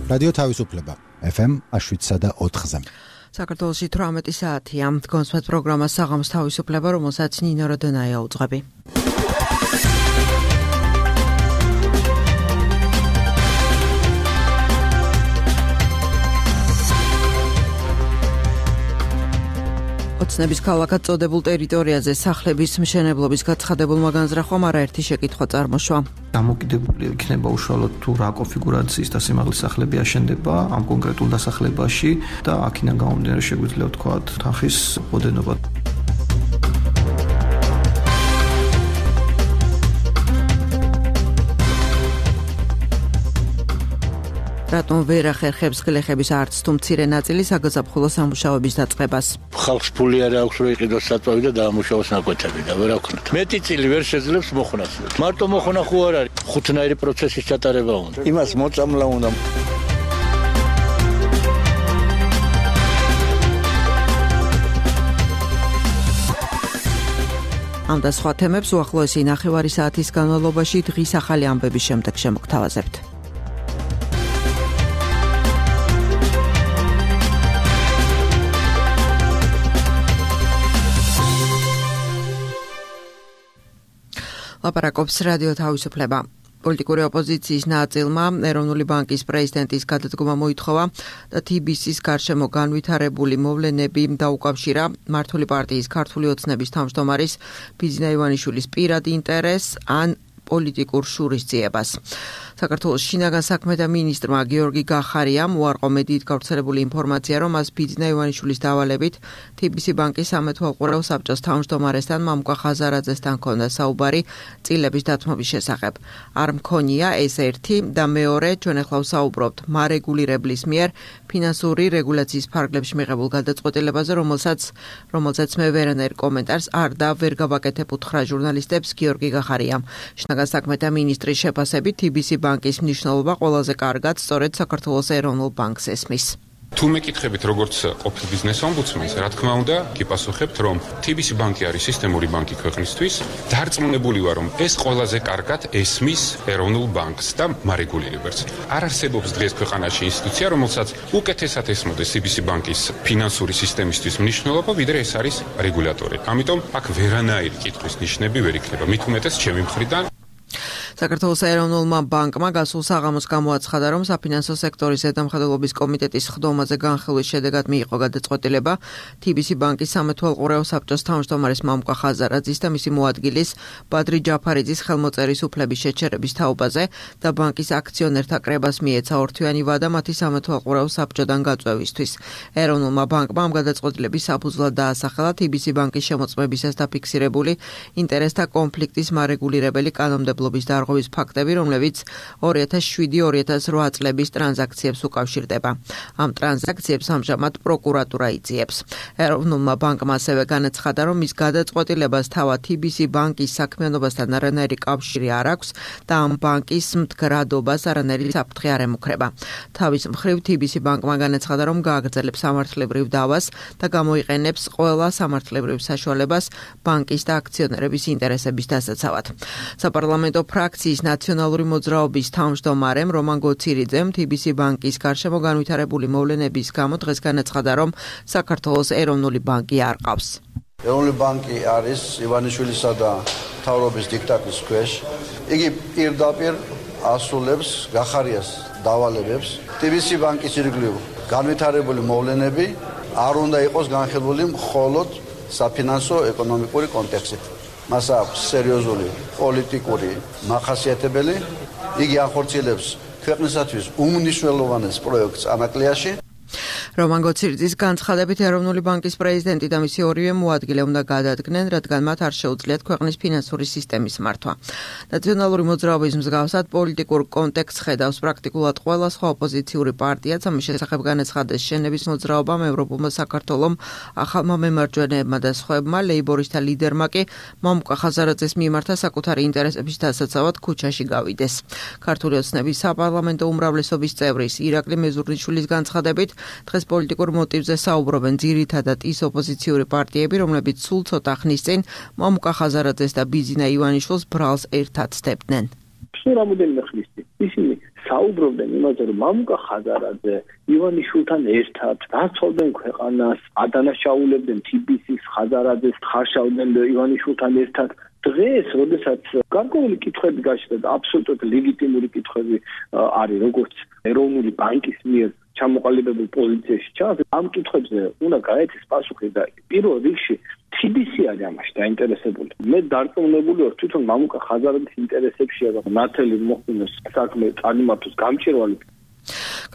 რადიო თავისუფლება FM 7.4-ზე. საქართველოში 18 საათია. გონსვათ პროგრამა საღამოს თავისუფლება, რომელსაც ნინო როდონაია უძღვები. ოცნების ქალაქად წოდებულ ტერიტორიაზე სახლების მშენებლობის გაცხადებულმა განზრახვამ არაერთი შეკითხვა წარმოშვა. დამოკიდებული იქნება უშუალოდ თუ რა კონფიგურაციის და სიმაღლის სახლები აშენდება ამ კონკრეტულ დასახლებაში და აქედან გამომდინარე შეგვიძლია ვთქვათ თანხის ოდენობა. რატომ ვერ ახერხებს გლეხების არც თუ მცირე ნაწილი საგაზაფხულო სამუშაოების დაწყებას? ხალხს ფული არ აქვს რომ იყიდოს საწვავი და დაამუშავოს ნაკვეთები და ვერ აქვთ. მეტი წილი ვერ შეძლებს მოხონას. მარტო მოხონა ხო არ არის. ხუთნაირი პროცესის ჩატარება უნდა. იმას მოწამლა უნდა. ამ და სხვა თემებს უახლოესი ნახევარი საათის განმავლობაში დღის ახალი ამბების შემდეგ შემოგთავაზებთ. ლაპარაკობს რადიო თავისუფლება. პოლიტიკური ოპოზიციის ნაწილმა ეროვნული ბანკის პრეზიდენტის გადადგომა მოითხოვა და TBC-ის გარშემო განვითარებული მოვლენები დაუკავშირა მართული პარტიის ქართული ოცნების თავმჯდომარის ბიძინა ივანიშვილის პირად ინტერესს ან პოლიტიკურ შურისძიებას. საქართველოს შინაგან საქმეთა მინისტრმა გიორგი გახარიამ უარყო მედიით გავრცელებული ინფორმაცია, რომ მას ბიძინა ივანიშვილის დავალებით TBC ბანკის სამეთვალყურეო საბჭოს თავმჯდომარესთან მამუკა ხაზარაძესთან ჰქონდა საუბარი წილების დათმობის შესახებ. არ მქონია ეს ერთი და მეორე, ჩვენ ახლა ვსაუბრობთ მარეგულირებლის მიერ ფინანსური რეგულაციის ფარგლებში მიღებულ გადაწყვეტილებაზე, რომელსაც მე ვერანაირ კომენტარს არ და ვერ გავაკეთებ უთხრა ჟურნალისტებს გიორგი გახარიამ. შინაგან საქმეთა მინისტრის შეფასებით TBC ბანკის მნიშვნელობა ყველაზე კარგად სწორედ საქართველოს ეროვნულ ბანკს ესმის. თუ მეკითხებით როგორც ყოფილ ბიზნეს ომბუდსმენს, რა თქმა უნდა, გიპასუხებთ, რომ TBC ბანკი არის სისტემური ბანკი ქვეყნისთვის. დარწმუნებული ვარ, რომ ეს ყველაზე კარგად ესმის ეროვნულ ბანკს და მარეგულირებელს. არ არსებობს დღეს ქვეყანაში ინსტიტუცია, რომელსაც უკეთესად ესმოდეს TBC ბანკის ფინანსური სისტემისთვის მნიშვნელობა, ვიდრე ეს არის რეგულატორი. ამიტომ აქ ვერანაირი კითხვის ნიშნები ვერ იქნება. მით უმეტეს ჩემი მხრიდან საქართველოს ეროვნულმა ბანკმა გასულ საღამოს გამოაცხადა, რომ საფინანსო სექტორის ზედამხედველობის კომიტეტის ხდომაზე განხილვის შედეგად მიიღო გადაწყვეტილება TBC ბანკის სამეთვალყურეო საბჭოს თავმჯდომარის მამუკა ხაზარაძის და მისი მოადგილის ბადრი ჯაფარიძის ხელმოწერის უფლების შეჩერების თაობაზე და ბანკის აქციონერთა კრებას მიეცა ორთვიანი ვადა მათი სამეთვალყურეო საბჭოდან გაწვევისთვის. ეროვნულმა ბანკმა ამ გადაწყვეტილების საფუძვლად დაასახელა TBC ბანკის შემოწმებისას დაფიქსირებული ინტერესთა კონფლიქტის მარეგულირებელი კანონმდებლობის ვის ფაქტები, რომლებიც 2007-2008 წლების ტრანზაქციებს უკავშირდება. ამ ტრანზაქციებს ამჟამად პროკურატურა იძიებს. ეროვნულმა ბანკმა ასევე განაცხადა, რომ მის გადაწყვეტილებას თავად TBC ბანკის საქმიანობასთან არანაირი კავშირი არ აქვს და ამ ბანკის მდგრადობას არანაირი საფრთხე არ ემუქრება. თავის მხრივ TBC ბანკმა განაცხადა, რომ გააგრძელებს სამართლებრივ დავას და გამოიყენებს ყველა სამართლებრივ საშუალებას ბანკის და აქციონერების ინტერესების დასაცავად. საპარლამენტო ფრაქციის ნაციონალური მოძრაობის თავმჯდომარემ რომან გოცირიძემ TBC ბანკის გარშემო განვითარებული მოვლენების გამო დღეს განაცხადა, რომ საქართველოს ეროვნული ბანკი არ ყავს. ეროვნული ბანკი არის ივანიშვილისა და მთავრობის დიქტატის ქვეშ. იგი პირდაპირ ასრულებს გახარიას დავალებებს. TBC ბანკის ირგვლივ განვითარებული მოვლენები არ უნდა იყოს განხილული მხოლოდ საფინანსო ეკონომიკური კონტექსტით. მას აქვს სერიოზული პოლიტიკური მახასიათებელი. იგი ახორციელებს ქვეყნისათვის უმნიშვნელოვანეს პროექტს ანაკლიაში. რომან გოცირიძის განცხადებით ეროვნული ბანკის პრეზიდენტი და მისი ორივე მოადგილე უნდა გადადგნენ, რადგან მათ არ შეუძლიათ ქვეყნის ფინანსური სისტემის მართვა. ნაციონალური მოძრაობის მსგავსად პოლიტიკურ კონტექსტს ხედავს პრაქტიკულად ყველა სხვა ოპოზიციური პარტიაც. ამის შესახებ განაცხადეს შენების მოძრაობამ, ევროპულმა საქართველომ, ახალმა მემარჯვენეებმა და სხვებმა. ლეიბორისტთა ლიდერმა კი მამუკა ხაზარაძეს მიმართა საკუთარი ინტერესების დასაცავად ქუჩაში გავიდეს. ქართული ოცნების საპარლამენტო უმრავლესობის წევრის ირაკლი მეზურნიშვილის განცხადებით, დღეს პოლიტიკურ მოტივზე საუბრობენ ძირითადად ის ოპოზიციური პარტიები, რომლებიც სულ ცოტა ხნის წინ მამუკა ხაზარაძეს და ბიძინა ივანიშვილს ბრალს ერთად სდებდნენ. სულ რამოდენიმე ხნის წინ ისინი საუბრობდნენ იმაზე, რომ მამუკა ხაზარაძე ივანიშვილთან ერთად დაცვალდნენ ქვეყანას, ადანაშაულებდნენ TBC-ს, ხაზარაძეს, ხარშავდნენ ივანიშვილთან ერთად. დღეს, როდესაც გარკვეული კითხვები გაჩნდა და აბსოლუტურად ლეგიტიმური კითხვები არის, როგორც ეროვნული ბანკის მიერ ჩამოყალიბებულ პოზიციაში ჩანს, ამ კითხვებზე უნდა გაეცეს პასუხი და პირველ რიგში TBC არის ამაში დაინტერესებული. მე დარწმუნებული ვარ, თვითონ მამუკა ხაზარაძის ინტერესებშია და ნათელი მოხდინოს საქმე წარმართოს გამჭირვალი.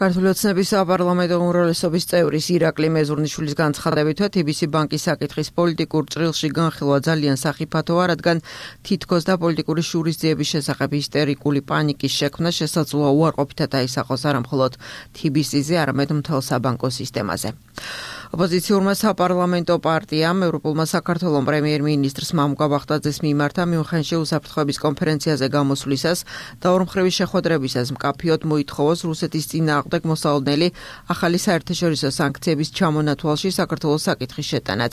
ქართული ოცნების საპარლამენტო უმრავლესობის წევრის ირაკლი მეზურნიშვილის განცხადებითაც TBC ბანკის საკითხის პოლიტიკურ ჭრილში განხილვა ძალიან სახიფათოა, რადგან თითქოს და პოლიტიკური შურისძიების შესახებ ისტერიკული პანიკის შექმნა შესაძლოა უარყოფითად აისახოს არა მხოლოდ TBC-ზე, არამედ მთელ საბანკო სისტემაზე. ოპოზიციურმა საპარლამენტო პარტიამ ევროპულმა საქართველოს პრემიერ-მინისტრს მამუკა ბახტაძეს მიმართა მიუნხენში უსაფრთხოების კონფერენციაზე გამოსვლისას და ორმხრივი შეხვედრებისას მკაფიოდ მოითხოვოს რუსეთის წინააღმდეგ მოსალოდნელი ახალი საერთაშორისო სანქციების ჩამონათვალში საქართველოს საკითხის შეტანაც.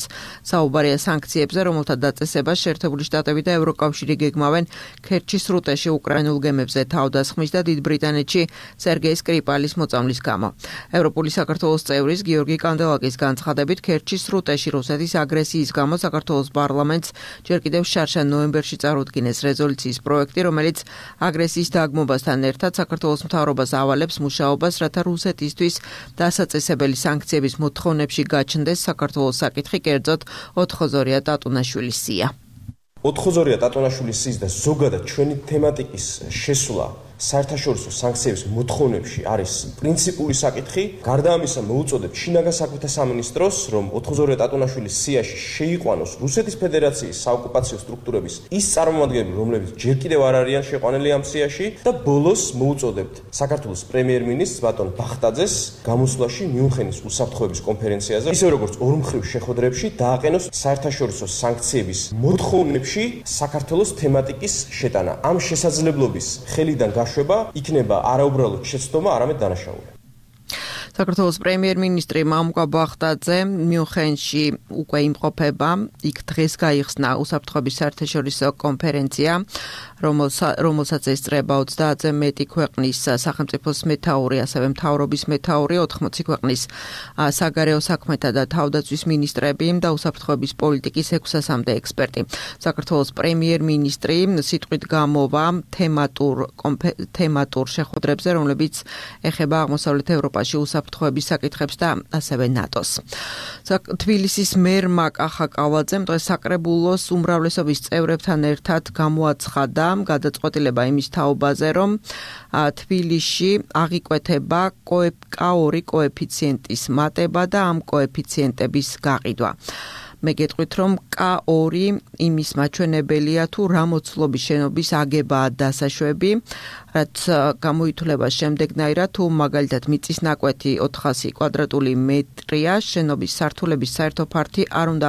საუბარია სანქციებზე, რომელთა დაწესებას შეერთებული შტატები და ევროკავშირი გეგმავენ ქერჩის სრუტეში უკრაინულ გემებზე თავდასხმის და დიდ ბრიტანეთში სერგეი სკრიპალის მოწამვლის გამო. ევროპული საქართველოს წევრის გიორგი კანდელაკის განცხადებით ქერჩის სრუტეში რუსეთის აგრესიის გამო საქართველოს პარლამენტს ჯერ კიდევ შარშან ნოემბერში წარუდგინეს რეზოლუციის პროექტი, რომელიც აგრესიის დაგმობასთან ერთად საქართველოს მთავრობას ავალებს მუშაობას, რათა რუსეთისთვის დასაწესებელი სანქციების მოთხოვნებში გაჩნდეს საქართველოს საკითხი, კერძოდ ოთხოზორია ტატუნაშვილის სია. ოთხოზორია ტატუნაშვილის სიის და ზოგადად ჩვენი თემატიკის შესვლა საერთაშორისო სანქციების მოთხოვნებში არის პრინციპული საკითხი. გარდა ამისა მოუწოდებ შინაგან საქმეთა სამინისტროს, რომ ოთხოზორია ტატუნაშვილის სიაში შეიყვანოს რუსეთის ფედერაციის საოკუპაციო სტრუქტურების ის წარმომადგენლები, რომლებიც ჯერ კიდევ არ არიან შეყვანილი ამ სიაში და ბოლოს მოუწოდებთ საქართველოს პრემიერ-მინისტრს ბატონ ბახტაძეს გამოსვლაში მიუნხენის უსაფრთხოების კონფერენციაზე, ისე როგორც ორმხრივ შეხვედრებში დააყენოს საერთაშორისო სანქციების მოთხოვნებში საქართველოს თემატიკის შეტანა. ამ შესაძლებლობის ხელიდან იქნება არაუბრალოდ შეცდომა, არამედ დანაშაული. საქართველოს პრემიერ-მინისტრი მამუკა ბახტაძე მიუნხენში უკვე იმყოფება, იქ დღეს გაიხსნა უსაფრთხოების საერთაშორისო კონფერენცია, რომელსაც ესწრება 30-ზე მეტი ქვეყნის სახელმწიფოს მეთაური, ასევე მთავრობის მეთაური, 80 ქვეყნის საგარეო საქმეთა და თავდაცვის მინისტრები და უსაფრთხოების პოლიტიკის 600-მდე ექსპერტი. საქართველოს პრემიერ-მინისტრი სიტყვით გამოვა თემატურ შეხვედრებზე, რომლებიც ეხება აღმოსავლეთ ევროპაში უსაფრთხოების საკითხებს და ასევე ნატოს. თბილისის მერმა კახა კავალაძემ დღეს საკრებულოს უმრავლესობის წევრებთან ერთად გამოაცხადა გადაწყვეტილება იმის თაობაზე, რომ თბილისში აღიკვეთება K2 კოეფიციენტის მატება და ამ კოეფიციენტების გაყიდვა. მე გეტყვით, რომ K2 იმის მაჩვენებელია თუ რა მოცულობის შენობის აგებაა დასაშვები, რაც გამოითვლება შემდეგნაირად, თუ მაგალითად მიწის ნაკვეთი 400 კვადრატული მეტრია, შენობის სართულების საერთო ფართი არ უნდა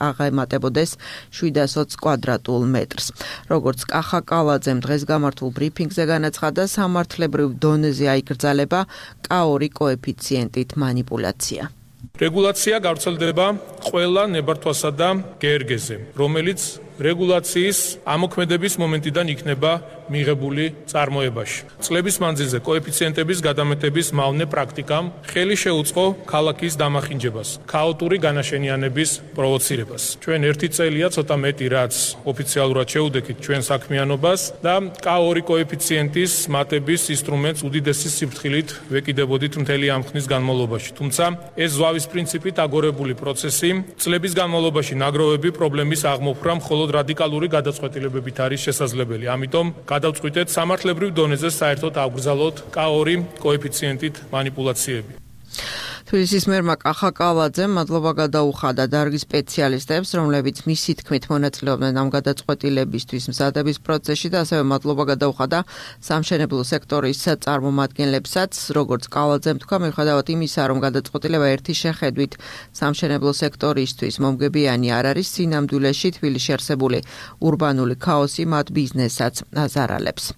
აღემატებოდეს 720 კვადრატულ მეტრს. როგორც კახა კავალაძემ დღეს გამართულ ბრიფინგზე განაცხადა, სამართლებრივ დონეზე აიკრძალება K2 კოეფიციენტით მანიპულაცია. რეგულაცია გავრცელდება ყველა ნებართვასა და გერგეზე, რომელიც რეგულაციის ამოქმედების მომენტიდან იქნება მიღებული წარმოებაში. წლების მანძილზე კოეფიციენტების გადამეტების მავნე პრაქტიკამ ხელი შეუწყო ქალაქის დამახინჯებას, ქაოტური განაშენიანების პროვოცირებას. ჩვენ ერთი წელია ცოტა მეტი, რაც ოფიციალურად შეუდექით ჩვენ საქმიანობას და K2 კოეფიციენტის მატების ინსტრუმენტს უდიდესი სიფრთხილით ვეკიდებოდით მთელი ამ ხნის განმავლობაში. თუმცა ეს ზვავის პრინციპით აგორებული პროცესი წლების განმავლობაში ნაგროვები პრობლემის აღმოფხვრა მხოლოდ რადიკალური გადაწყვეტილებებით არის შესაძლებელი. ამიტომ გადავწყვიტეთ სამართლებრივ დონეზე საერთოდ აღგრძალოთ K2 კოეფიციენტით მანიპულაციები. თბილისის მერმა კახა კავალაძემ მადლობა გადაუხადა დარგის სპეციალისტებს, რომლებიც მისი თქმით მონაწილეობდნენ ამ გადაწყვეტილებისთვის მზადების პროცესში და ასევე მადლობა გადაუხადა სამშენებლო სექტორის წარმომადგენლებსაც, როგორც კავალაძემ თქვა, მიუხედავად იმისა, რომ გადაწყვეტილება ერთი შეხედვით სამშენებლო სექტორისთვის მომგებიანი არ არის, სინამდვილეში თბილისში არსებული ურბანული ქაოსი მათ ბიზნესსაც აზარალებს.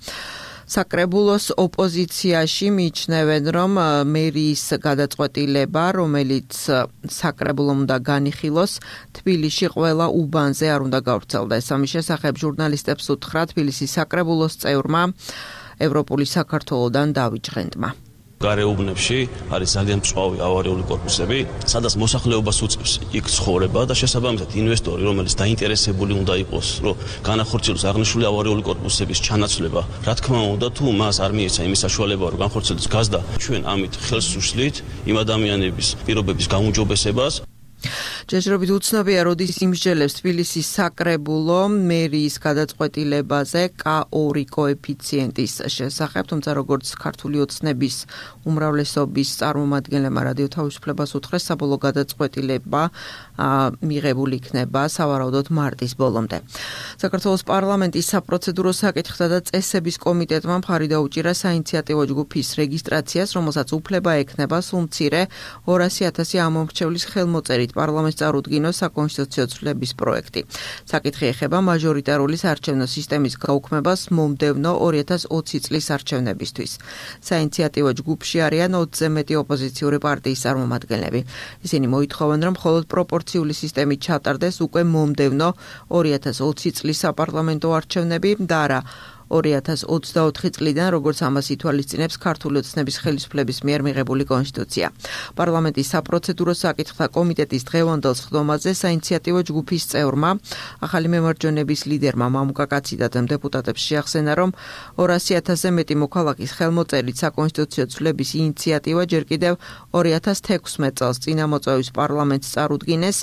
საკრებულოს ოპოზიციაში მიიჩნევენ, რომ მერიის გადაწყვეტილება, რომელიც საკრებულომ უნდა განიხილოს, თბილისში ყველა უბანზე არ უნდა გავრცელდეს. ამის შესახებ ჟურნალისტებს უთხრა თბილისის საკრებულოს წევრმა ევროპული საქართველოდან დავით ჟღენტმა. გარეუბნებში არის ძალიან მწვავი ავარიული კორპუსები, სადაც მოსახლეობას უწევს იქ ცხოვრება და შესაბამისად ინვესტორი, რომელიც დაინტერესებული უნდა იყოს, რომ განახორციელოს აღნიშნული ავარიული კორპუსების ჩანაცვლება, რა თქმა უნდა, თუ მას არ მიეცა იმის საშუალება, რომ განხორციელოს გაზდა, ჩვენ ამით ხელს უშლით იმ ადამიანების პირობების გაუმჯობესებას. ჯერჯერობით უცნობია, როდის იმსჯელებს თბილისის საკრებულო მერიის გადაწყვეტილებაზე K2 კოეფიციენტის შესახებ, თუმცა როგორც ქართული ოცნების უმრავლესობის წარმომადგენლებმა რადიო თავისუფლებას უთხრეს, საბოლოო გადაწყვეტილება მიღებული იქნება სავარაუდოდ მარტის ბოლომდე. საქართველოს პარლამენტის საპროცედურო საკითხთა და წესების კომიტეტმა მხარი დაუჭირა საინიციატივო ჯგუფის რეგისტრაციას, რომელსაც უფლება ექნება სულ მცირე 200,000 ამომრჩევლის ხელმოწერით პარლამენტს წარუდგინოს საკონსტიტუციო ცვლილების პროექტი. საკითხი ეხება მაჟორიტარული საარჩევნო სისტემის გაუქმებას მომდევნო 2020 წლის არჩევნებისთვის. საინიციატივო ჯგუფში არიან 20-ზე მეტი ოპოზიციური პარტიის წარმომადგენლები. ისინი მოითხოვენ, რომ მხოლოდ პროპორციული სისტემით ჩატარდეს უკვე მომდევნო 2020 წლის საპარლამენტო არჩევნები და არა 2024 წლიდან, როგორც ამას ითვალისწინებს ქართული ოცნების ხელისუფლების მიერ მიღებული კონსტიტუცია. პარლამენტის საპროცედურო საკითხთა კომიტეტის დღევანდელ სხდომაზე საინიციატივო ჯგუფის წევრმა, ახალი მემარჯვენების ლიდერმა მამუკა კაციდაძემ დეპუტატებს შეახსენა, რომ 200,000-ზე მეტი მოქალაქის ხელმოწერით საკონსტიტუციო ცვლილების ინიციატივა ჯერ კიდევ 2016 წელს წინამოწვევის პარლამენტს წარუდგინეს.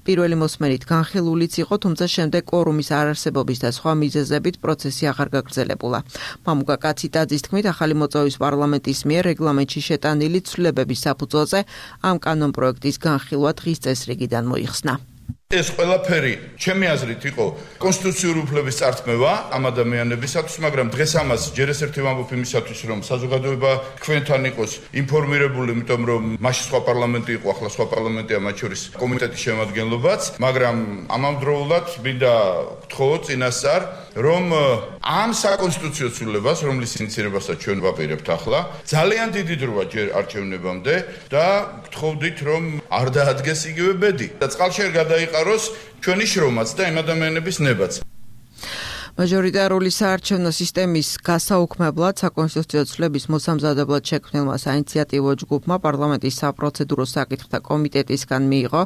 პირველი მოსმენით განხილულიც იყო, თუმცა შემდეგ კვორუმის არარსებობის და სხვა მიზეზებით პროცესი აღარ გაგრძელებულა. მამუკა კაციდაძის თქმით, ახალი მოწვევის პარლამენტის მიერ რეგლამენტში შეტანილი ცვლილებების საფუძველზე ამ კანონპროექტის განხილვა დღის წესრიგიდან მოიხსნა. ეს ყველაფერი ჩემი აზრით იყო კონსტიტუციური უფლების წართმევა ამ ადამიანებისათვის, მაგრამ დღეს ამას ჯერ ეს ერთი ვამბობ იმისათვის, რომ საზოგადოება თქვენთან იყოს ინფორმირებული, იმიტომ რომ მაშინ სხვა პარლამენტი იყო, ახლა სხვა პარლამენტია, მათ შორის კომიტეტის შემადგენლობაც, მაგრამ ამავდროულად მინდა გთხოვოთ წინასწარ, რომ ამ საკონსტიტუციო ცვლილებას, რომლის ინიცირებასაც ჩვენ ვაპირებთ ახლა, ძალიან დიდი დროა ჯერ არჩევნებამდე და გთხოვდით, რომ არ დაადგეს იგივე ბედი და წყალში არ გადაიყაროს ჩვენი შრომაც და იმ ადამიანების ნებაც. მაჟორიტარული საარჩევნო სისტემის გასაუქმებლად საკონსტიტუციო ცვლილების მოსამზადებლად შექმნილმა საინიციატივო ჯგუფმა პარლამენტის საპროცედურო საკითხთა კომიტეტისგან მიიღო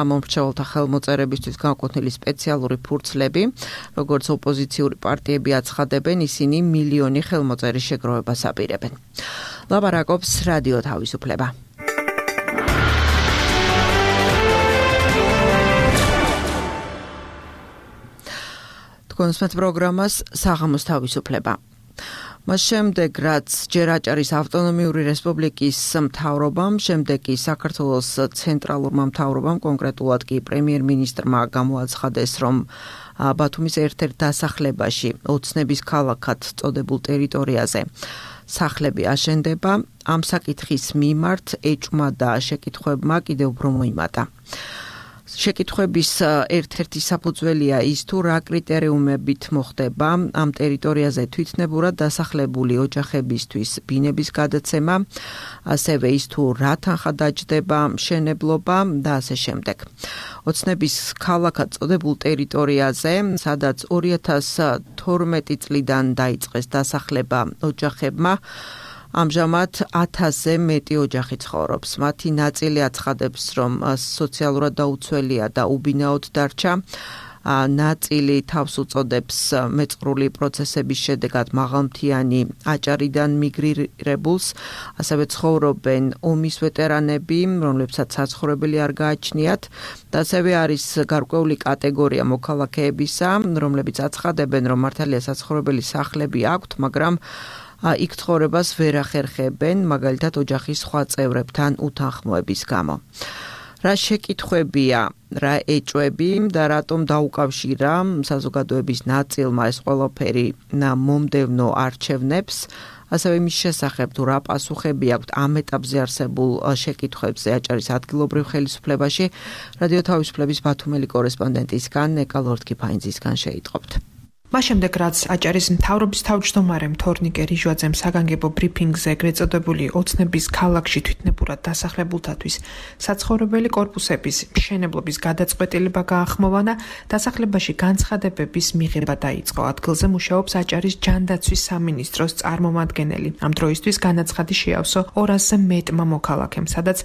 ამომრჩეველთა ხელმოწერებისთვის განკუთვნილი სპეციალური ფურცლები. როგორც ოპოზიციური პარტიები აცხადებენ, ისინი მილიონი ხელმოწერის შეგროვებას აპირებენ. ლაპარაკობს რადიო თავისუფლება. კონსმეთ პროგრამას საღამოს თავისუფლება. მას შემდეგ, რაც ჯერ აჭარის ავტონომიური რესპუბლიკის მთავრობამ, შემდეგ კი საქართველოს ცენტრალურმა მთავრობამ, კონკრეტულად კი პრემიერ-მინისტრმა გამოაცხადეს, რომ ბათუმის ერთ-ერთ დასახლებაში ოცნების ქალაქად წოდებულ ტერიტორიაზე სახლები აშენდება, ამ საკითხის მიმართ ეჭვმა და შეკითხვებმა კიდევ უფრო მოიმატა. შეკითხვების ერთ-ერთი საფუძველია ის, თუ რა კრიტერიუმებით მოხდება ამ ტერიტორიაზე თვითნებურად დასახლებული ოჯახებისთვის ბინების გადაცემა, ასევე ის, თუ რა თანხა დაჯდება მშენებლობა და ასე შემდეგ. ოცნების ქალაქად წოდებულ ტერიტორიაზე, სადაც 2012 წლიდან დაიწყეს დასახლება ოჯახებმა, ამჟამად 1000-ზე მეტი ოჯახი ცხოვრობს. მათი ნაწილი აცხადებს, რომ სოციალურად დაუცველია და უბინაოდ დარჩა. ნაწილი თავს უწოდებს მეწყრული პროცესების შედეგად მაღალმთიანი აჭარიდან მიგრირებულს, ასევე ცხოვრობენ ომის ვეტერანები, რომლებსაც საცხოვრებელი არ გააჩნიათ, და ასევე არის გარკვეული კატეგორია მოქალაქეებისა, რომლებიც აცხადებენ, რომ მართალია საცხოვრებელი სახლები აქვთ, მაგრამ იქ ცხოვრებას ვერ ახერხებენ, მაგალითად ოჯახის სხვა წევრებთან უთანხმოების გამო. რა შეკითხვებია, რა ეჭვები და რატომ დაუკავშირა საზოგადოების ნაწილმა ეს ყველაფერი მომდევნო არჩევნებს, ასევე მის შესახებ თუ რა პასუხები აქვთ ამ ეტაპზე არსებულ შეკითხვებზე აჭარის ადგილობრივ ხელისუფლებაში, რადიო თავისუფლების ბათუმელი კორესპონდენტისგან ეკა ლორდ-კიფაინძისგან შეიტყობთ. მას შემდეგ რაც აჭარის მთავრობის თავმჯდომარემ თორნიკე რიჟვაძემ საგანგებო ბრიფინგზე ეგრეთ წოდებული ოცნების ქალაქში თვითნებურად დასახლებულთათვის საცხოვრებელი კორპუსების მშენებლობის გადაწყვეტილება გაახმოვანა, დასახლებაში განცხადებების მიღება დაიწყო. ადგილზე მუშაობს აჭარის ჯანდაცვის სამინისტროს წარმომადგენელი. ამ დროისთვის განაცხადი შეავსო 200-ზე მეტმა მოქალაქემ, სადაც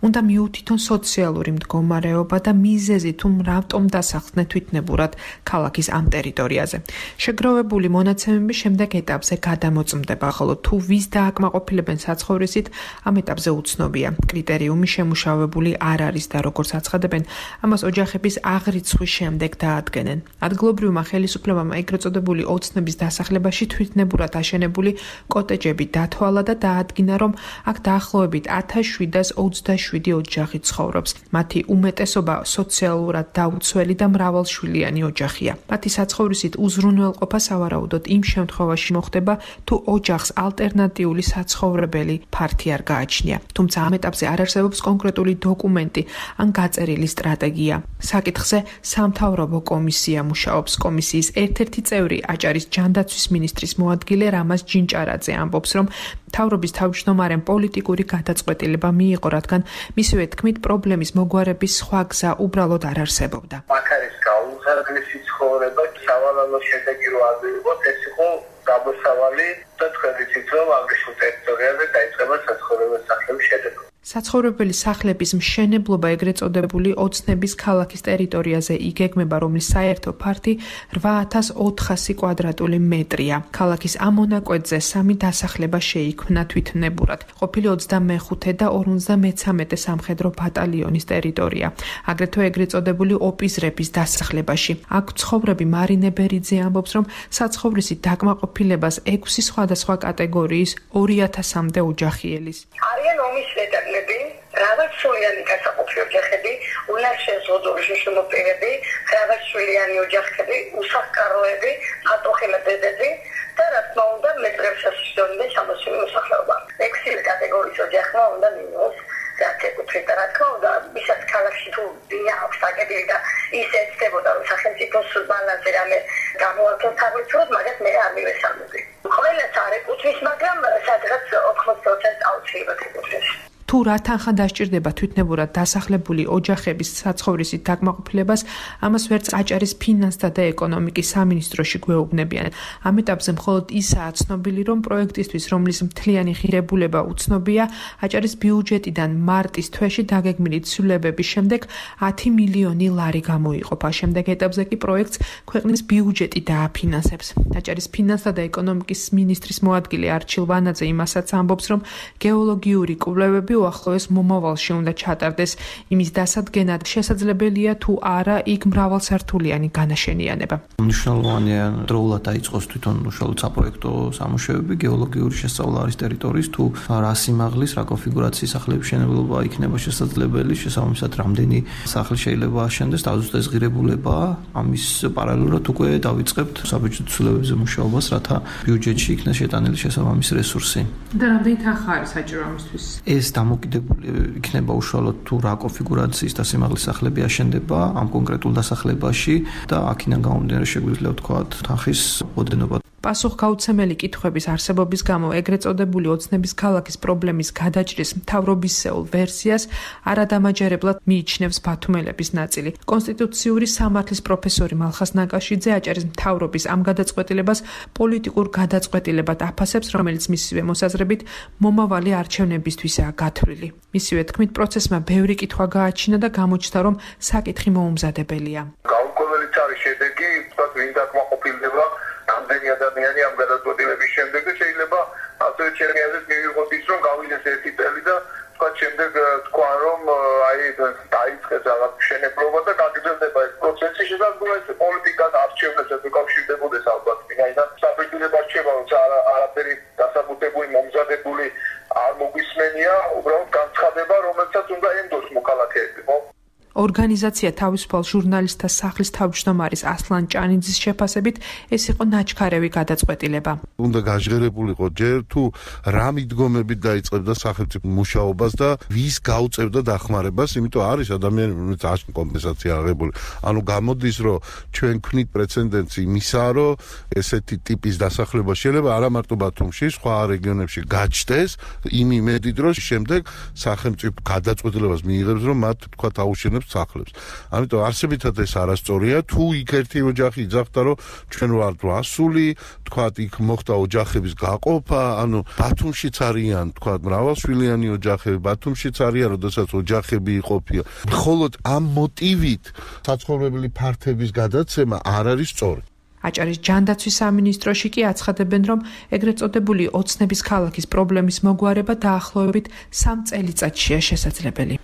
უნდა მიუთითონ სოციალური მდგომარეობა და მიზეზი თუ რატომ დასახლდნენ თვითნებურად ქალაქის ამ ტერიტორიაზე. შეგროვებული მონაცემები შემდეგ ეტაპზე გადამოწმდება, ხოლო თუ ვის დააკმაყოფილებენ საცხოვრისით, ამ ეტაპზე უცნობია. კრიტერიუმი შემუშავებული არ არის და როგორც აცხადებენ, ამას ოჯახების აღრიცხვის შემდეგ დაადგენენ. ადგილობრივმა ხელისუფლებამ ეგრეთ წოდებული ოცნების დასახლებაში თვითნებურად აშენებული კოტეჯები დათვალა და დაადგინა, რომ აქ დაახლოებით 1727 ოჯახი ცხოვრობს. მათი უმეტესობა სოციალურად დაუცველი და მრავალშვილიანი ოჯახია. მათი საცხოვრისით უზრუნველყოფა სავარაუდოდ იმ შემთხვევაში მოხდება, თუ ოჯახს ალტერნატიული საცხოვრებელი ფართი არ გააჩნია. თუმცა ამ ეტაპზე არ არსებობს კონკრეტული დოკუმენტი ან გაწერილი სტრატეგია. საკითხზე სამთავრობო კომისია მუშაობს. კომისიის ერთ-ერთი წევრი აჭარის ჯანდაცვის მინისტრის მოადგილე რამაზ ჯინჭარაძე ამბობს, რომ მთავრობის თავმჯდომარემ პოლიტიკური გადაწყვეტილება მიიღო, რადგან მისივე თქმით პრობლემის მოგვარების სხვა გზა უბრალოდ არ არსებობდა. აქ არის გაუზარდესი ცხოვრება, სავალალო შედეგი რო არ ვიღოთ, ეს იყო გამოსავალი და თქვენ იცით, რომ ამრიშულ ტერიტორიაზე დაიწყება საცხოვრებელი სახლების შედეგი. საცხოვრებელი სახლების მშენებლობა ეგრეთ წოდებული ოცნების ქალაქის ტერიტორიაზე იგეგმება, რომლის საერთო ფართი 8400 კვადრატული მეტრია. ქალაქის ამ მონაკვეთზე 3 დასახლება შეიქმნა თვითნებურად. ყოფილი 25 და 53 სამხედრო ბატალიონის ტერიტორია. აგრეთვე ეგრეთ წოდებული ოპიზრების დასახლებაში. აქ ცხოვრები მარინე ბერიძე ამბობს, რომ საცხოვრისით დაკმაყოფილებას 6 სხვადასხვა კატეგორიის 2000-მდე ოჯახი ელის. არიან ომის ვეტარლები, მრავალშვილიანი გასაყოფი ოჯახები, უნარშეზღუდული შიშმოპირები, მრავალშვილიანი ოჯახები, უსახკაროები, ატოხელებედები და რა თქმა უნდა მეტრებს ასშონდე სამოსული მოსახლეობა. 6 კატეგორიის ოჯახმა უნდა მიიღოს საკუთრივ და რა თქმა უნდა ისაც ქალაქში თუ აქვს აგებული და ის ეცდებოდა რომ სახელმწიფოს ბალანსი რამე გამოაქვეყნოს თავისუფლად, მაგას მე არ მივესალმები. ყველას არ ეკუთვნის, მაგრამ სადღაც 80% აუცილებლად ეკუთვნის. თუ რა თანხა დასჭირდება თვითნებურად დასახლებული ოჯახების საცხოვრისით დაკმაყოფილებას, ამას ვერც აჭარის ფინანსთა და ეკონომიკის სამინისტროში გვეუბნებიან. ამ ეტაპზე მხოლოდ ისაა ცნობილი, რომ პროექტისთვის, რომლის მთლიანი ღირებულება უცნობია, აჭარის ბიუჯეტიდან მარტის თვეში დაგეგმილი ცვლილებების შემდეგ 10 მილიონი ლარი გამოიყოფა. შემდეგ ეტაპზე კი პროექტს ქვეყნის ბიუჯეტი დააფინანსებს. აჭარის ფინანსთა და ეკონომიკის მინისტრის მოადგილე არჩილ ვანაძე იმასაც ამბობს, რომ გეოლოგიური კვლევები უახლოეს მომავალში უნდა ჩატარდეს. იმის დასადგენად შესაძლებელია თუ არა იქ მრავალსართულიანი განაშენიანება. მნიშვნელოვანია დროულად დაიწყოს თვითონ უშუალოდ საპროექტო სამუშაოები, გეოლოგიური შესწავლა არის ტერიტორიის, თუ რა სიმაღლის, რა კონფიგურაციის სახლების მშენებლობა იქნება შესაძლებელი, შესაბამისად რამდენი სახლი შეიძლება აშენდეს, თავისუფლად ღირებულება, ამის პარალელურად უკვე დავიწყებთ საბიუჯეტო ცვლილებებზე მუშაობას, რათა ბიუჯეტში იქნეს შეტანილი შესაბამისი რესურსი. და რამდენი თანხა არის საჭირო ამისთვის? ეს დამოკიდებული იქნება უშუალოდ თუ რა კონფიგურაციის და სიმაღლის სახლები აშენდება ამ კონკრეტულ დასახლებაში და აქედან გამომდინარე შეგვიძლია ვთქვათ თანხის ოდენობა. პასუხგაუცემელი კითხვების არსებობის გამო ეგრეთ წოდებული ოცნების ქალაქის პრობლემის გადაჭრის მთავრობისეულ ვერსიას არადამაჯერებლად მიიჩნევს ბათუმელების ნაწილი. კონსტიტუციური სამართლის პროფესორი მალხას ნაკაშიძე აჭარის მთავრობის ამ გადაწყვეტილებას პოლიტიკურ გადაწყვეტილებად აფასებს, რომელიც მისივე მოსაზრებით მომავალი არჩევნებისთვისაა გათვლილი. მისივე თქმით, პროცესმა ბევრი კითხვა გააჩინა და გამოჩნდა, რომ საკითხი მოუმზადებელია. გაურკვეველიც არის შედეგი, თქვა ვინ დაკმაყოფილდება ამდენი ადამიანი ამ გადაწყვეტილების შემდეგ და შეიძლება ასევე ჩემი აზრით მივიღოთ ის, რომ გავიდეს ერთი წელი და თქვა შემდეგ თქვა რომ აი დაიწყეს რაღაც მშენებლობა და გაგრძელდება ეს პროცესი, შესაძლოა ეს პოლიტიკას არჩევნებსაც უკავშირდებოდეს ალბათ, ვინაიდან საბჭოთა რჩევა არაფერი დასაბუთებული, მომზადებული არ მოგვისმენია, უბრალოდ განცხადება, რომელსაც უნდა ენდოს მოქალაქეები, ხო? ორ ორგანიზაცია თავისუფალ ჟურნალისტთა სახლის თავმჯდომარის ასლან ჭანიძის შეფასებით ეს იყო ნაჩქარევი გადაწყვეტილება. უნდა გაჟღერებულიყო ჯერ თუ რა მიდგომებით დაიწყებდა სახელმწიფო მუშაობას და ვის გაუწევდა დახმარებას, იმიტომ არის ადამიანები, რომელსაც აშკ კომპენსაცია აღებული. ანუ გამოდის, რომ ჩვენ ვქნით პრეცედენტს იმისა, რომ ესეთი ტიპის დასახლება შეიძლება არა მარტო ბათუმში, სხვა რეგიონებში გაჩნდეს, იმ იმედით, რომ შემდეგ სახელმწიფო გადაწყვეტილებას მიიღებს, რომ მათ თქვა აუშენებს სახლებს. ამიტომ არსებითად ეს არასწორია, თუ იქ ერთი ოჯახი იძახდა, რომ ჩვენ ვართ ასული, თქვა იქ მოხდა ოჯახების გაყოფა, ანუ ბათუმშიც არიან, თქვა მრავალშვილიანი ოჯახები, ბათუმშიც არიან, როდესაც ოჯახები იყოფია. მხოლოდ ამ მოტივით საცხოვრებელი ფართების გადაცემა არ არის სწორი. აჭარის ჯანდაცვის სამინისტროში კი აცხადებენ, რომ ეგრეთ წოდებული ოცნების ქალაქის პრობლემის მოგვარება დაახლოებით 3 წელიწადშია შესაძლებელი.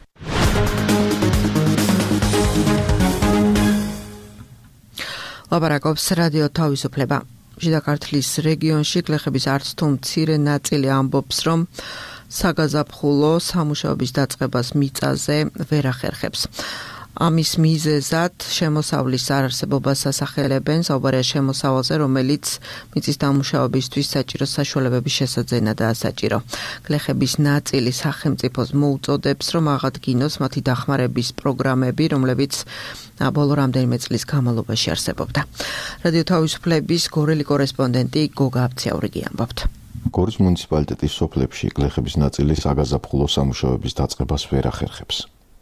ლაპარაკობს რადიო თავისუფლება. შიდა ქართლის რეგიონში გლეხების არც თუ მცირე ნაწილი ამბობს, რომ საგაზაფხულო სამუშაოების დაწყებას მიწაზე ვერ ახერხებს. ამის მიზეზად შემოსავლის არარსებობას ასახელებენ, საუბარია შემოსავალზე, რომელიც მიწის დამუშავებისთვის საჭირო საშუალებების შესაძენადაა საჭირო. გლეხების ნაწილი სახელმწიფოს მოუწოდებს, რომ აღადგინოს მათი დახმარების პროგრამები, რომლებიც ბოლო რამდენიმე წლის განმავლობაში არსებობდა. რადიო თავისუფლების გორელი კორესპონდენტი გოგა აბციაურიგი ამბობთ. გორის მუნიციპალიტეტის სოფლებში გლეხების ნაწილი საგაზაფხულო სამუშაოების დაწყებას ვერ ახერხებს.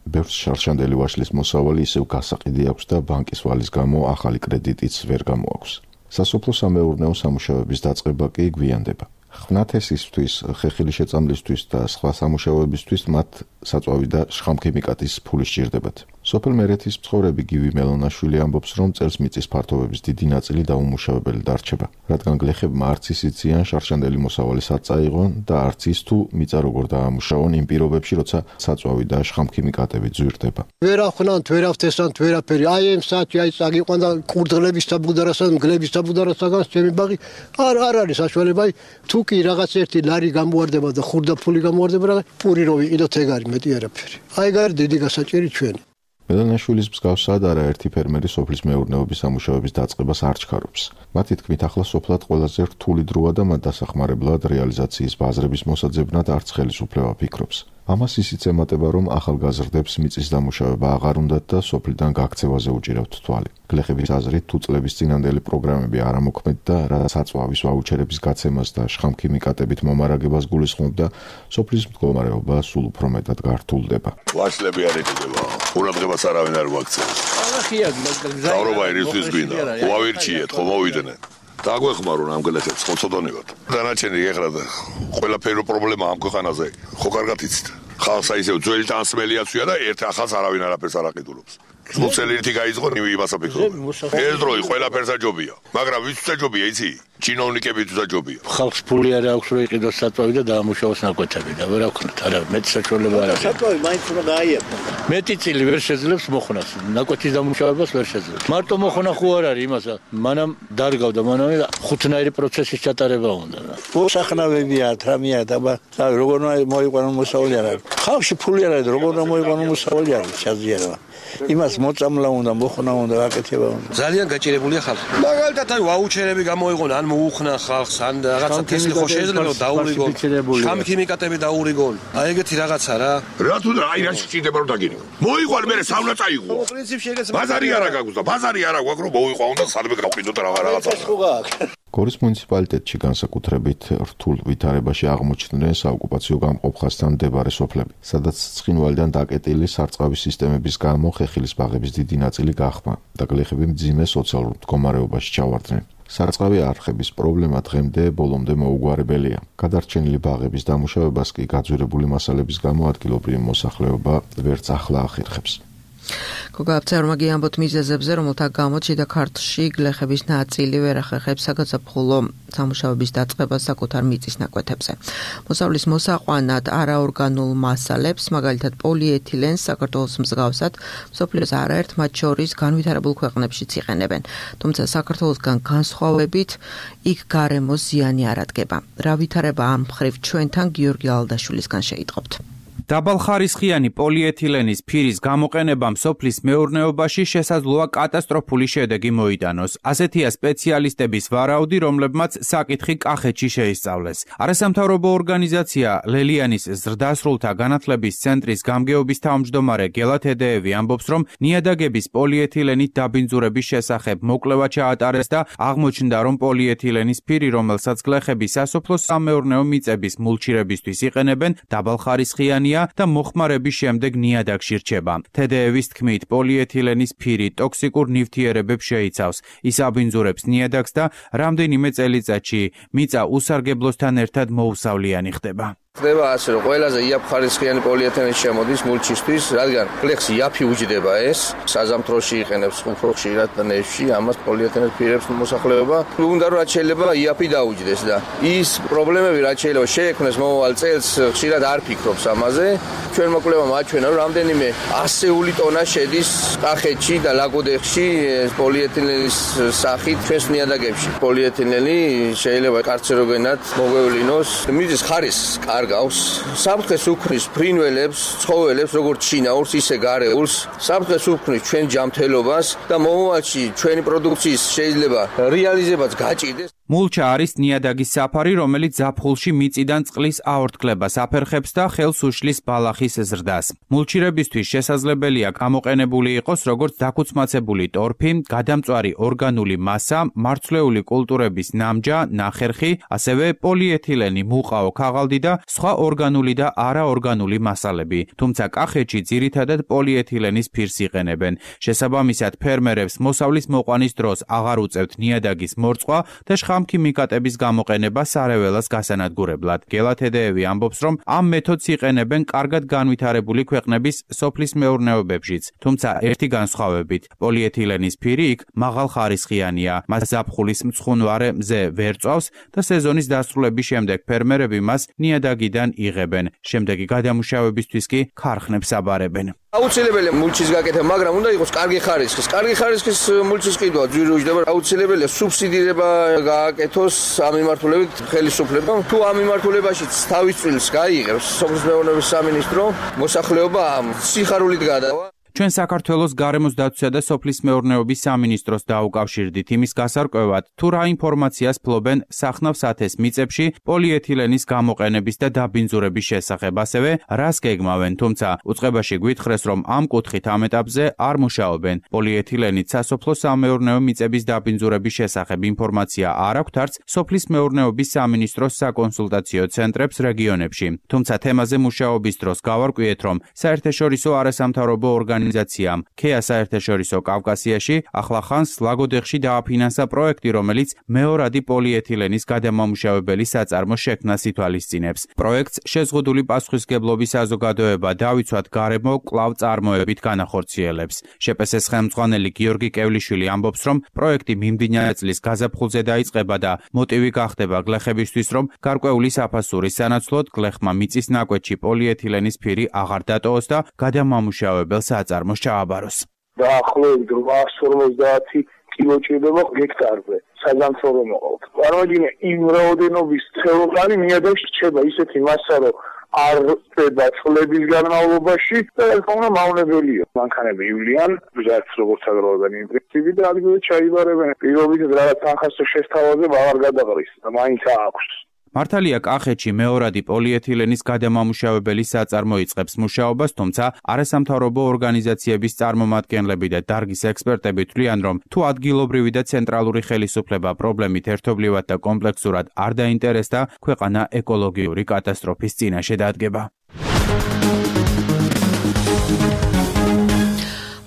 ბევრს შარშანდელი ვაშლის მოსავალი ისევ გასაყიდი აქვს და ბანკის ვალის გამო ახალი კრედიტიც ვერ გამოაქვს. სასოფლო სამეურნეო სამუშაოების დაწყება კი გვიანდება. ხვნათესისთვის, ხეხილი შეწამლისთვის და სხვა სამუშაოებისთვის მათ საწვავი და შხამქიმიკატის ფული სჭირდებათ. სოფელ მერეთის მცხოვრები გივი მელონაშვილი ამბობს, რომ წელს მიწის ფართობების დიდი ნაწილი დაუმუშავებელი დარჩება, რადგან გლეხებმა არც ისიციან შარშანდელი მოსავალის არ წაიღონ და არც ის თუ მიწა როგორ დაამუშავონ იმ პირობებში, როცა საწვავი და შხამქიმიკატები ძვირდება. ვერ ახვნანთ, ვერ ავთესანთ, ვერაფერი. აი ამ საათი აი წაგიყვან და ყურდღლების საბუდარასთან, გლების საბუდარასთან ჩემი ბაღი არ არის საშუალება. თუ კი რაღაც ერთი ლარი გამოواردება და ხურდაფული გამოواردება, რა პური რო ვიყიდოთ ეგ არის მეტი არაფერი. აი გარ დიდი გასაჭირი ჩვენი. მელონაშვილის მსგავსად არაერთი ფერმერი სოფლის მეურნეობის სამუშაოების დაწყებას არ ჩქარობს. მათი თქმით, ახლა სოფლად ყველაზე რთული დროა და მათ დასახმარებლად რეალიზაციის ბაზრების მოსაძებნად არც ხელისუფლება ფიქრობს. ამას ისიც ემატება, რომ ახალგაზრდებს მიწის დამუშავება აღარ უნდათ და სოფლიდან გაქცევაზე უჭირავთ თვალი. გლეხების აზრით, თუ წლების წინანდელი პროგრამები არ ამოქმედ და რაც საწვავის ვაუჩერების გაცემას და შხამქიმიკატებით მომარაგებას გულისხმობდა, სოფლის მდგომარეობა სულ უფრო მეტად გართულდება. ვაშლები არ ეკიდება. ყურადღებას არავინ არ ვაქცევს. დავრობა ერისთვის გვინდა. ვავირჩიეთ, ხო მოვიდნენ. დაგვეხმარონ ამ გლეხებს, ხო ცოდონებად. დანარჩენი ეხლა ყველაფერი პრობლემა ამ ქვეყანაზე. ხო კარგად იცით. ხალხს ისევ ძველი ტანსმელიაცია და ერთ ახალს არავინ არაფერს არ აყიდულობს. სულცელი ერთი გაიწყო იმას აფიქრობ. ეს დროი ყველაფერს აჯობია. მაგრამ ვისთვის აჯობია იცი? ჩინოვნიკებისთვის აჯობია. ხალხს ფული არ აქვს რომ იყიდოს საწვავი და დაამუშავოს ნაკვეთები და ვერ აქვთ არა მეტი საშუალება არ აქვს. საწვავი მაინც უნდა გააიაფო. მეტი წილი ვერ შეძლებს მოხნას. ნაკვეთის დამუშავებას ვერ შეძლებს. მარტო მოხნა ხო არ არის იმასა. მანამ დარგავდა მანამ 5-ნაირი პროცესის ჩატარება უნდა. მოსახნავებია, თრამია და როგორ მოიყვანონ მოსავალი არ არის. ხალხში ფული არ არის, როგორ მოიყვანონ მოსავალი არ არის, ჩაზიანება. იმას მოწამლა უნდა, მოხნა უნდა, აკეთება უნდა. ძალიან გაჭირებულია ხალხი. მაგალითად აი ვაუჩერები გამოიღონ, ან მოუხნა ხალხს, ან რაღაცა თესლი ხო შეიძლება დაურიგონ. შხამქიმიკატები დაურიგონ. აი ეგეთი რაღაცა რა. რა თუ აი რა შეიძლება რომ დაგინო. მოიყვან მე საუნა წაიღო. პრინციპში ეგეც ბაზარი არა გაქვს და ბაზარი არა გვაქვს რომ მოიყვან და სადმე გავყიდოთ რაღაცა. გორის მუნიციპალიტეტში განსაკუთრებით რთულ ვითარებაში აღმოჩნდნენ საოკუპაციო გამყოფხასთან მდებარე სოფლები, სადაც ცხინვალიდან დაკეტილი სარწყავი სისტემების გამო ხეხილის ბაღების დიდი ნაწილი გახმა და გლეხები მძიმე სოციალურ მდგომარეობაში ჩავარდნენ. სარწყავი არხების პრობლემა დღემდე ბოლომდე მოუგვარებელია. გადარჩენილი ბაღების დამუშავებას კი გაძვირებული მასალების გამო ადგილობრივი მოსახლეობა ვერც ახლა ახერხებს. გოგა აბციაურიგი ამბობთ მიზეზებზე, რომელთა გამოც შიდა ქართლში გლეხების ნაწილი ვერ ახერხებს საგაზაფხულო სამუშაოების დაწყებას საკუთარ მიწის ნაკვეთებზე. მოსავლის მოსაყვანად არაორგანულ მასალებს, მაგალითად პოლიეთილენს, საქართველოს მსგავსად, მსოფლიოს არაერთ მათ შორის განვითარებულ ქვეყნებშიც იყენებენ. თუმცა საქართველოსგან განსხვავებით, იქ გარემოს ზიანი არ ადგება. რა ვითარება ამ მხრივ ჩვენთან გიორგი ალდაშვილისგან შეიტყობთ. დაბალხარისხიანი პოლიეთილენის ფირის გამოყენებამ სოფლის მეურნეობაში შესაძლოა კატასტროფული შედეგი მოიტანოს. ასეთია სპეციალისტების ვარაუდი, რომლებმაც საკითხი კახეთში შეისწავლეს. არასამთავრობო ორგანიზაცია ლელიანის ზრდასრულთა განათლების ცენტრის გამგეობის თავმჯდომარე გელა თედეევი ამბობს, რომ ნიადაგების პოლიეთილენით დაბინძურების შესახებ მოკვლევა ჩაატარეს და აღმოჩნდა, რომ პოლიეთილენის ფირი, რომელსაც გლეხები სასოფლო სამეურნეო მიწების მულჩირებისთვის იყენებენ, დაბალხარისხიანია და მოხმარების შემდეგ ნიადაგში რჩება. თედეევის თქმით, პოლიეთილენის ფირი ტოქსიკურ ნივთიერებებს შეიცავს. ის აბინძურებს ნიადაგს და რამდენიმე წელიწადში მიწა უსარგებლოსთან ერთად მოუსავლიანი ხდება. ხდება ასე, რომ ყველაზე იაფხარისხიანი პოლიეთილენი შემოდის მულჩისთვის, რადგან გლეხს იაფი უჯდება ეს, საზამთროში იყენებს, ხუფროში, ნეშში, ამას პოლიეთილენის ფირებს მოსახლეობა. უნდა რომ რაც შეიძლება იაფი დაუჯდეს და ის პრობლემები რაც შეიძლება შეექმნეს მომავალ წელს, ხშირად არ ფიქრობს ამაზე. ჩვენ მოკვლევამ აჩვენა, რომ რამდენიმე 100 ტონა შედის კახეთში და ლაგოდეხში პოლიეთილენის სახით ჩვენს ნიადაგებში. პოლიეთილენი შეიძლება კარცეროგენად მოგვევლინოს, მიწის ხარისხს გავს. საფრთხეს უქმნის ფრინველებს, ცხოველებს, როგორც შინაურს, ისე გარეულს. საფრთხეს უქმნის ჩვენ ჯანმრთელობას და მომავალში ჩვენი პროდუქციის შეიძლება რეალიზებაც გაჭირდეს. მულჩა არის ნიადაგის საფარი, რომელიც ზაფხულში მიწიდან წყლის აორთქლებას აფერხებს და ხელს უშლის ბალახის ზრდას. მულჩირებისთვის შესაძლებელია გამოყენებული იყოს როგორც დაქუცმაცებული ტორფი, გადამწვარი ორგანული მასა, მარცვლეული კულტურების ნამჯა, ნახერხი, ასევე პოლიეთილენი, მუყაო, ქაღალდი და სხვა ორგანული და არაორგანული მასალები. თუმცა კახეთში ძირითადად პოლიეთილენის ფირს იყენებენ. შესაბამისად, ფერმერებს მოსავლის მოყვანის დროს აღარ უწევთ ნიადაგის მორწყვა და შხამქიმიკატების გამოყენება სარეველას გასანადგურებლად. გელა თედეევი ამბობს, რომ ამ მეთოდს იყენებენ კარგად განვითარებული ქვეყნების სოფლის მეურნეობებშიც. თუმცა ერთი განსხვავებით, პოლიეთილენის ფირი იქ მაღალხარისხიანია. მას ზაფხულის მცხუნვარე მზე ვერ წვავს და სეზონის დასრულების შემდეგ ფერმერები მას ნიადაგიდან იღებენ. შემდეგი გადამუშავებისთვის კი ქარხნებს აბარებენ. აუცილებელია მულჩის გაკეთება, მაგრამ უნდა იყოს კარგი ხარისხის. კარგი ხარისხის მულჩის ყიდვა ძვირი უჯდება. აუცილებელია სუბსიდირება გააკეთოს ამ მიმართულებით ხელისუფლებამ. თუ ამ მიმართულებაშიც თავის წილს გაიღებს სოფლის მეურნეობის სამინისტრო, მოსახლეობა სიხარულით გადავა. ჩვენ საქართველოს გარემოს დაცვისა და სოფლის მეურნეობის სამინისტროს დაუკავშირდით იმის გასარკვევად, თუ რა ინფორმაციას ფლობენ სახნავ-სათეს მიწებში პოლიეთილენის გამოყენების და დაბინძურების შესახებ, ასევე რას გეგმავენ, თუმცა უწყებაში გვითხრეს, რომ ამ კუთხით ამ ეტაპზე არ მუშაობენ. პოლიეთილენით სასოფლო სამეურნეო მიწების დაბინძურების შესახებ ინფორმაცია არ აქვთ არც სოფლის მეურნეობის სამინისტროს საკონსულტაციო ცენტრებს რეგიონებში. თუმცა თემაზე მუშაობის დროს გავარკვიეთ, რომ საერთაშორისო არასამთავრობო ორგანიზაციამ ქეა საერთაშორისო კავკასიაში ახლახანს ლაგოდეხში დააფინანსა პროექტი, რომელიც მეორადი პოლიეთილენის გადამამუშავებელი საწარმოს შექმნას ითვალისწინებს. პროექტს შეზღუდული პასუხისმგებლობის საზოგადოება დავიცვათ გარემო კვლავ წარმოებით განახორციელებს. შპს-ის ხელმძღვანელი გიორგი კევლიშვილი ამბობს, რომ პროექტი მიმდინარე წლის გაზაფხულზე დაიწყება და მოტივი გახდება გლეხებისთვის, რომ გარკვეული საფასურის სანაცვლოდ გლეხმა მიწის ნაკვეთში პოლიეთილენის ფირი აღარ დატოვოს და გადამამუშავებელ საწარმოს ჩააბაროს. დაახლოებით 850 კილო ჭირდება ჰექტარზე. საზამთრო რომ მოყავთ. წარმოიდგინე იმ რაოდენობის ცელოფანი ნიადაგში რჩება ისეთი მასა, რომ არ ხდება წლების განმავლობაში და თქმა მავნებელია. მანქანები ივლიან, ბჟარც როგორც აგროვებენ ინტენსივი და ადგილზე ჩაიბარებენ. პირობითად რაღაც თანხასო შესთავაზე აღარ გადაყრის და მაინც აქვს. მართალია კახეთში მეორადი პოლიეთილენის გადამამუშავებელი საწარმო იწყებს მუშაობას, თუმცა არასამთავრობო ორგანიზაციების წარმომადგენლები და დარგის ექსპერტები თვლიან, რომ თუ ადგილობრივი და ცენტრალური ხელისუფლება პრობლემით ერთობლივად და კომპლექსურად არ დაინტერესდა, ქვეყანა ეკოლოგიური კატასტროფის წინაშე დადგება.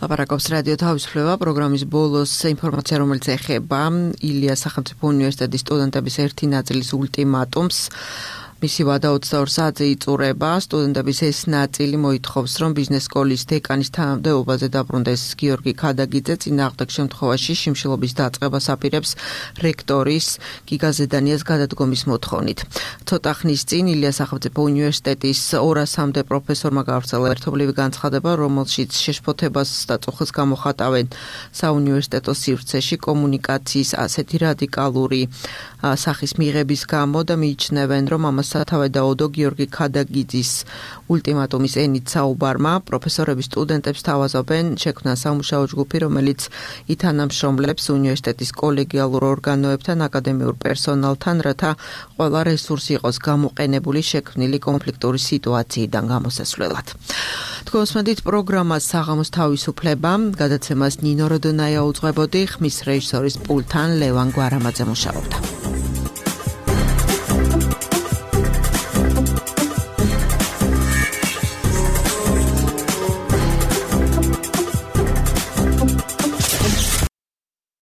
ლაპარაკობს რადიო თავისუფლება პროგრამის ბოლოს ინფორმაცია, რომელიც ეხება ილიას სახელმწიფო უნივერსიტეტის სტუდენტების ერთი ნაწილის ულტიმატუმს. მისი ვადა 22 საათზე იწურება. სტუდენტების ეს ნაწილი მოითხოვს, რომ ბიზნეს სკოლის დეკანის თანამდებობაზე დაბრუნდეს გიორგი ქადაგიძე. წინააღმდეგ შემთხვევაში შიმშილობის დაწყებას აპირებს რექტორის გიგა ზედანიას გადადგომის მოთხოვნით. ცოტა ხნის წინ ილიას სახელმწიფო უნივერსიტეტის 200-მდე პროფესორმა გავრცელა ერთობლივი განცხადება, რომელშიც შეშფოთებას და წუხილს გამოხატავენ საუნივერსიტეტო სივრცეში კომუნიკაციის ასეთი რადიკალური სახის მიღების გამო და მიიჩნევენ, რომ ამას სათავე დაუდო გიორგი ქადაგიძის ულტიმატუმის ენით საუბარმა. პროფესორები სტუდენტებს თავაზობენ შექმნა სამუშაო ჯგუფი, რომელიც ითანამშრომლებს უნივერსიტეტის კოლეგიალურ ორგანოებთან, აკადემიურ პერსონალთან, რათა ყველა რესურსი იყოს გამოყენებული შექმნილი კონფლიქტური სიტუაციიდან გამოსასვლელად. თქვენს მედით პროგრამას საღამოს თავისუფლება, გადაცემას ნინო როდონაია უძღვებოდი, ხმის რეჟისორის პულთან ლევან გვარამაძე მუშაობდა.